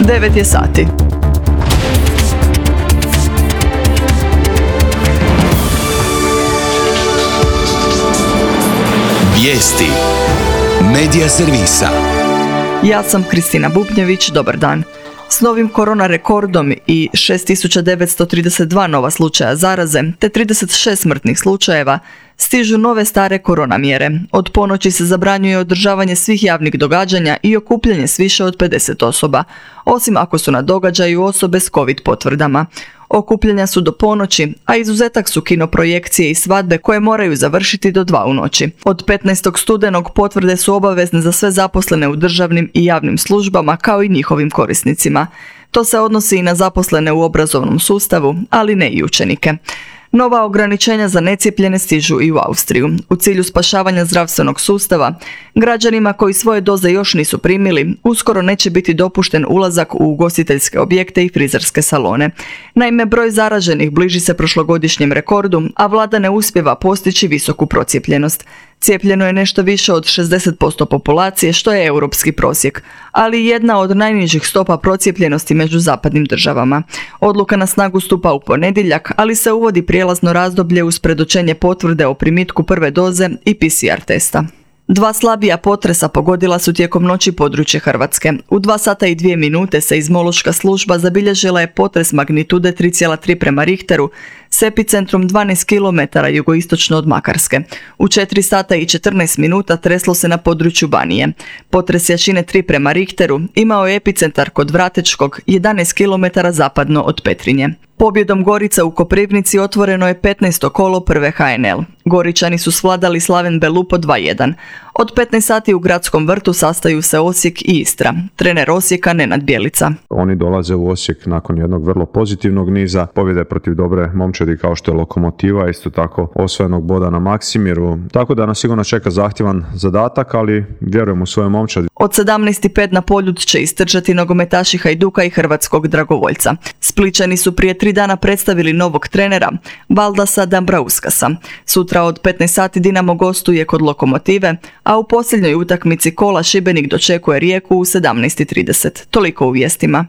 9 je sati. Vijesti Medija servisa. Ja sam Kristina Bubnjević, dobar dan. S novim korona rekordom i 6932 nova slučaja zaraze te 36 smrtnih slučajeva stižu nove stare korona mjere. Od ponoći se zabranjuje održavanje svih javnih događanja i okupljanje s više od 50 osoba, osim ako su na događaju osobe s COVID potvrdama. Okupljanja su do ponoći, a izuzetak su kinoprojekcije i svadbe koje moraju završiti do 2 u noći. Od 15. studenog potvrde su obavezne za sve zaposlene u državnim i javnim službama kao i njihovim korisnicima. To se odnosi i na zaposlene u obrazovnom sustavu, ali ne i učenike. Nova ograničenja za necijepljene stižu i u Austriju. U cilju spašavanja zdravstvenog sustava, građanima koji svoje doze još nisu primili, uskoro neće biti dopušten ulazak u ugostiteljske objekte i frizerske salone. Naime, broj zaraženih bliži se prošlogodišnjem rekordu, a vlada ne uspijeva postići visoku procijepljenost. Cijepljeno je nešto više od 60% populacije, što je europski prosjek, ali jedna od najnižih stopa procijepljenosti među zapadnim državama. Odluka na snagu stupa u ponedjeljak, ali se uvodi prijelazno razdoblje uz predočenje potvrde o primitku prve doze i PCR testa. 2 slabija potresa pogodila su tijekom noći područje Hrvatske. U 2 sata i 2 minute seizmološka služba zabilježila je potres magnitude 3,3 prema Richteru s epicentrom 12 km jugoistočno od Makarske. U 4 sata i 14 minuta treslo se na području Banije. Potres jačine 3 prema Richteru imao je epicentar kod Vratečkog 11 km zapadno od Petrinje. Pobjedom Gorica u Koprivnici otvoreno je 15. kolo prve HNL. Goričani su svladali Slaven Belupo 2:1. Od 15 sati u Gradskom vrtu sastaju se Osijek i Istra. Trener Osijeka Nenad Bjelica. Oni dolaze u Osijek nakon jednog vrlo pozitivnog niza pobjede protiv dobre momčadi kao što je Lokomotiva, isto tako osvojenog boda na Maksimiru. Tako da nas sigurno čeka zahtjevan zadatak, ali vjerujem u svoje momčadi. Od 17:05 na Poljud će istrčati nogometaši Hajduka i hrvatskog dragovoljca. Splićani su prije 3 dana predstavili novog trenera, Valdasa Dambrauskasa. Sutra od 15 sati Dinamo gostuje kod Lokomotive, a u posljednjoj utakmici kola Šibenik dočekuje Rijeku u 17:30. Toliko u vijestima.